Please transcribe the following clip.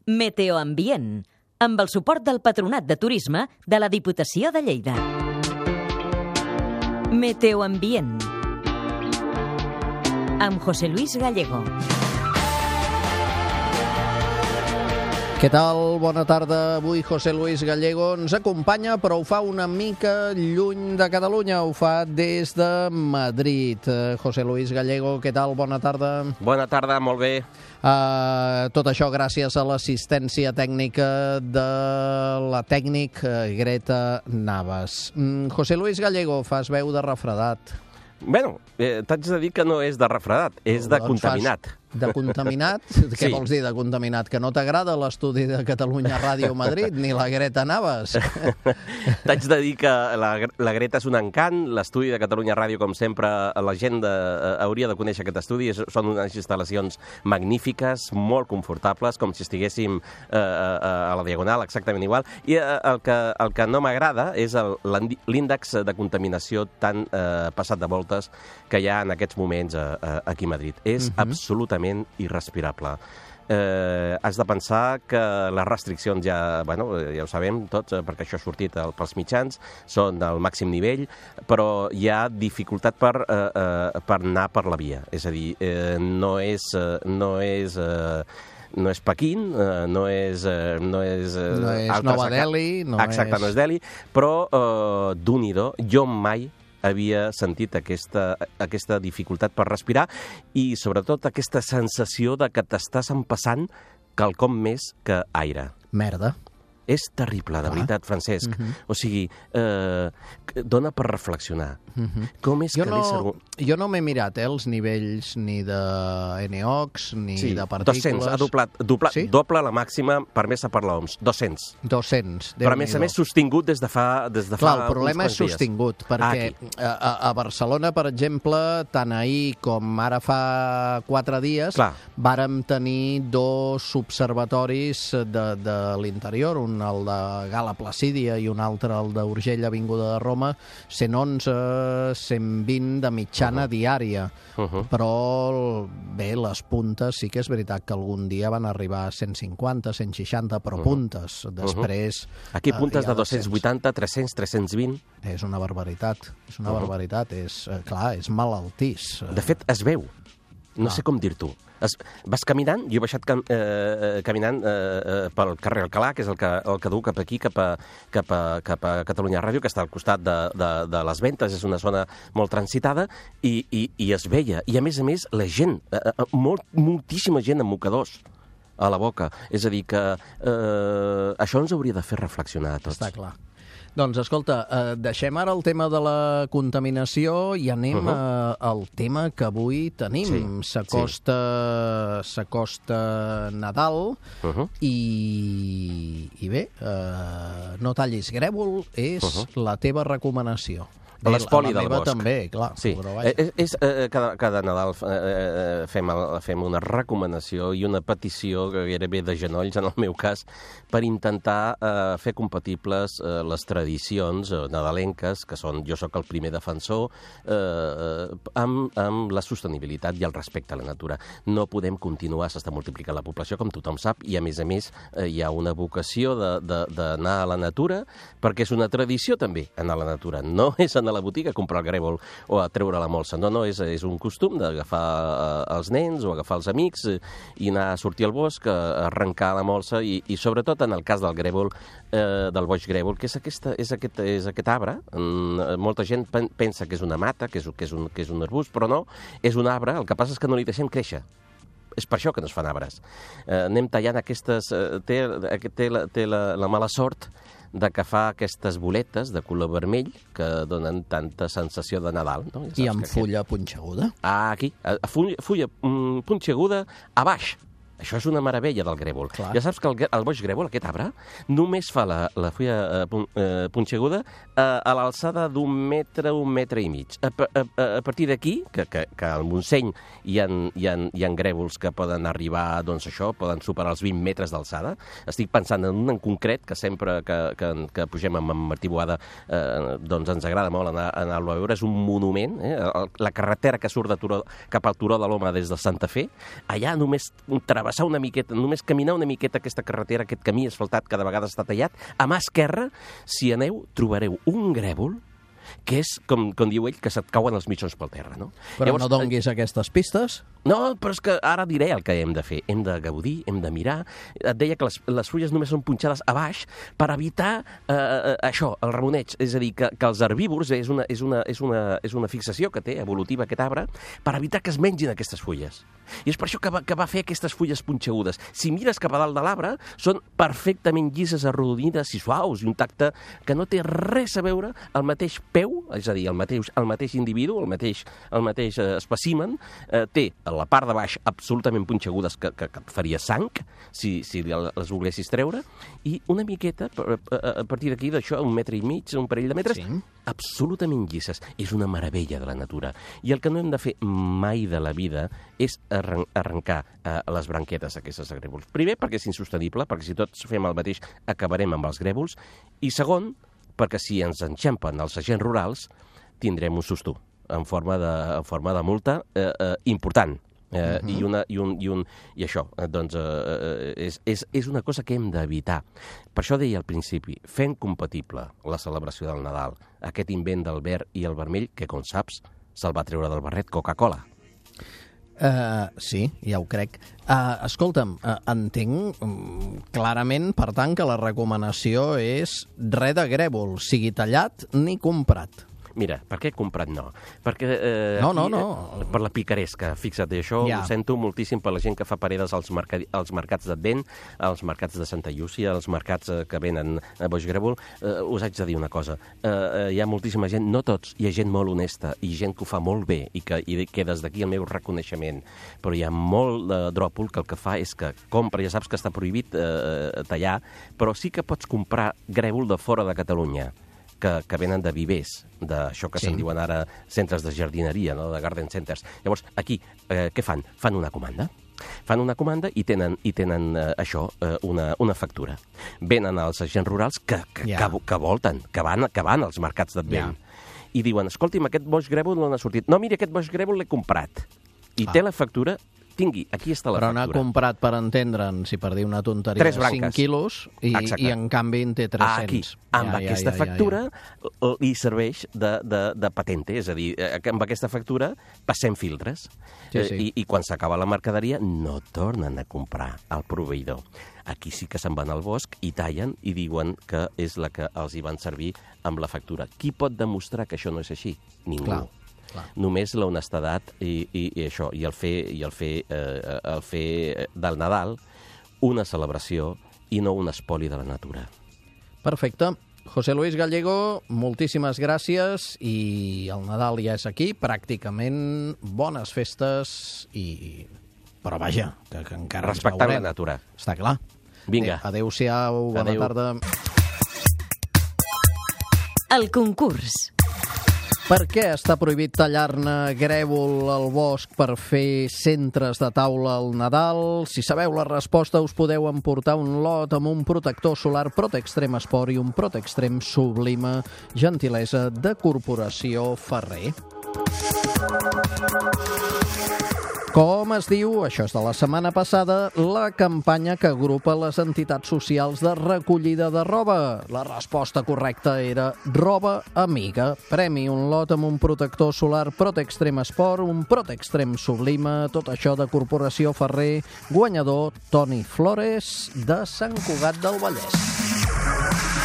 Meteoambient, amb el suport del Patronat de Turisme de la Diputació de Lleida. Meteoambient, amb José Luis Gallego. Què tal? Bona tarda. Avui José Luis Gallego ens acompanya, però ho fa una mica lluny de Catalunya. Ho fa des de Madrid. José Luis Gallego, què tal? Bona tarda. Bona tarda, molt bé. Tot això gràcies a l'assistència tècnica de la tècnic Greta Navas. José Luis Gallego, fas veu de refredat. Bueno, t'haig de dir que no és de refredat, és de contaminat. De contaminat? Què vols dir de contaminat? Que no t'agrada l'estudi de Catalunya Ràdio Madrid ni la Greta Navas? T'haig de dir que la Greta és un encant, l'estudi de Catalunya Ràdio, com sempre, la gent hauria de conèixer aquest estudi. Són unes instal·lacions magnífiques, molt confortables, com si estiguéssim a la Diagonal, exactament igual. I el que no m'agrada és l'índex de contaminació tan passat de voltes que hi ha en aquests moments aquí a Madrid. És absolutament irrespirable. Has de pensar que les restriccions ja ho sabem tots, perquè això ha sortit pels mitjans, són del màxim nivell, però hi ha dificultat per anar per la via. És a dir, no és Pequín, no és Nova Delhi. Exacte, no és Delhi, però d'un-i-do, jo mai havia sentit aquesta dificultat per respirar i, sobretot, aquesta sensació de que t'estàs empassant quelcom més que aire. Merda. És terrible, de veritat, Francesc. O sigui, dona per reflexionar. Com és que l'ésser... Jo no m'he mirat els nivells ni de NOx ni de partícules. 200, ha doble la màxima permesa per l'OMS. 200. Però, a més, sostingut des de fa Clar, el problema és sostingut, perquè a Barcelona, per exemple, tant ahir com ara fa 4 dies, vàrem tenir 2 observatoris de l'interior, un el de Gala Placídia i un altre el d'Urgell, Avinguda de Roma, 111, 120 de mitjana diària. Però, bé, les puntes sí que és veritat que algun dia van arribar a 150, 160, però puntes. Després... Aquí puntes de 280, 300, 320. És una barbaritat. És una barbaritat. Clar, és malaltís. De fet, es veu. No sé com dir-t'ho. Vas caminant, jo he baixat caminant pel carrer Alcalà, que és el que du cap aquí, cap a Catalunya Ràdio, que està al costat de les Ventes, és una zona molt transitada, i es veia. I, a més, la gent, moltíssima gent amb mocadors a la boca. És a dir, que això ens hauria de fer reflexionar a tots. Està clar. Doncs, escolta, deixem ara el tema de la contaminació i anem al tema que avui tenim. S'acosta Nadal i bé, no tallis grèvol és la teva recomanació. L'espoli del bosc. També, clar. Sí. Cada Nadal fem una recomanació i una petició, que gairebé de genolls, en el meu cas, per intentar fer compatibles les tradicions nadalenques, que són, jo sóc el primer defensor, amb la sostenibilitat i el respecte a la natura. No podem continuar, s'està multiplicant la població, com tothom sap, i a més hi ha una vocació d'anar a la natura, perquè és una tradició també anar a la natura. No és anar a la botiga a comprar el grèvol o a treure la molsa. No, és un costum d'agafar els nens o agafar els amics i anar a sortir al bosc, a arrencar la molsa i sobretot en el cas del grèvol, del boix grèvol, que és aquest arbre. Molta gent pensa que és una mata, que és un arbust, però no, és un arbre. El que passa és que no li deixem créixer. És per això que no es fan arbres. Anem tallant aquestes... Té la mala sort de que fa aquestes boletes de color vermell que donen tanta sensació de Nadal. No? I amb fulla punxeguda? Aquí. Fulla punxeguda a baix. Això és una meravella del grèvol. Clar. Ja saps que el boix grèvol, aquest arbre, només fa la fulla punxeguda a l'alçada d'un metre i mig. A partir d'aquí, que al Montseny hi ha grèvols que poden arribar, doncs això, poden superar els 20 metres d'alçada. Estic pensant en un en concret que sempre que pugem amb Martí Boada doncs ens agrada molt anar-lo a veure. És un monument, la carretera que surt cap al Turó de l'Home des de Santa Fe. Allà només un treball travessar una miqueta, només caminar una miqueta aquesta carretera, aquest camí asfaltat que de vegades està tallat, a mà esquerra, si aneu, trobareu un grèvol que és, com diu ell, que se't cauen els mitjons pel terra, no? Però llavors, no donguis aquestes pistes? No, però és que ara diré el que hem de fer. Hem de gaudir, hem de mirar. Et deia que les fulles només són punxades a baix per evitar això, el ramoneig. És a dir, que els herbívors, és una fixació que té evolutiva aquest arbre, per evitar que es mengin aquestes fulles. I és per això que va fer aquestes fulles punxegudes. Si mires cap a dalt de l'arbre, són perfectament llises, arrodonides i suaus, i un tacte que no té res a veure el mateix peu, és a dir, el mateix individu, el mateix espècimen, té a la part de baix absolutament punxegudes que et faria sang, si les volguessis treure, i una miqueta, a partir d'aquí, d'això, 1,5 metres, un parell de metres, absolutament llises. És una meravella de la natura. I el que no hem de fer mai de la vida és arrencar les branquetes d'aquestes grèvols. Primer, perquè és insostenible, perquè si tots fem el mateix acabarem amb els grèvols, i segon, perquè si ens enxampen els agents rurals tindrem un susto en forma de multa important. I això, doncs, és una cosa que hem d'evitar. Per això deia al principi, fem compatible la celebració del Nadal, aquest invent del verd i el vermell, que, com saps, se'l va treure del barret Coca-Cola. Sí, ja ho crec. Escolta'm, entenc clarament, per tant, que la recomanació és res de grèvol, sigui tallat ni comprat. Mira, per què comprat no? Perquè... No. Per la picaresca, fixa't, això ho sento moltíssim per la gent que fa paredes als mercats d'Advent, als mercats de Santa Llúcia, als mercats que venen a Boix Grèvol. Us haig de dir una cosa, hi ha moltíssima gent, no tots, hi ha gent molt honesta i gent que ho fa molt bé i que des d'aquí el meu reconeixement, però hi ha molt dròpol que el que fa és que compra, ja saps que està prohibit tallar, però sí que pots comprar grèvol de fora de Catalunya, que venen de vivers, d'això que se'n diuen ara centres de jardineria, no? De garden centers. Llavors, aquí, què fan? Fan una comanda. Fan una comanda i tenen això, una factura. Venen als agents rurals que volten, que van als mercats d'Advent. I diuen, escolti'm, aquest boix grèvol no n'ha sortit. No, mira, aquest boix grèvol l'he comprat. I té la factura... Tingui, aquí està la factura. Però n'ha comprat, per entendre'n, si per dir una tonteria, 5 quilos i en canvi en té 300. Aquí, amb aquesta factura li serveix de patente, és a dir, amb aquesta factura passem filtres i quan s'acaba la mercaderia no tornen a comprar al proveïdor. Aquí sí que se'n van al bosc i tallen i diuen que és la que els hi van servir amb la factura. Qui pot demostrar que això no és així? Ningú. Clar. Només l'honestedat i això, i el fer del Nadal una celebració i no un espoli de la natura. Perfecte. José Luis Gallego, moltíssimes gràcies i el Nadal ja és aquí, pràcticament bones festes però vaja, que encara ens veurem. Respectant la natura. Està clar. Vinga. Adéu-siau, bona tarda. El concurs. Per què està prohibit tallar-ne grèvol al bosc per fer centres de taula al Nadal? Si sabeu la resposta, us podeu emportar un lot amb un protector solar Protextrem Sport i un Protextrem Sublime, gentilesa de Corporació Ferrer. Com es diu, això és de la setmana passada, la campanya que agrupa les entitats socials de recollida de roba? La resposta correcta era Roba Amiga. Premi, un lot amb un protector solar Protextrem Sport, un Protextrem Sublime, tot això de Corporació Ferrer, guanyador Toni Flores de Sant Cugat del Vallès.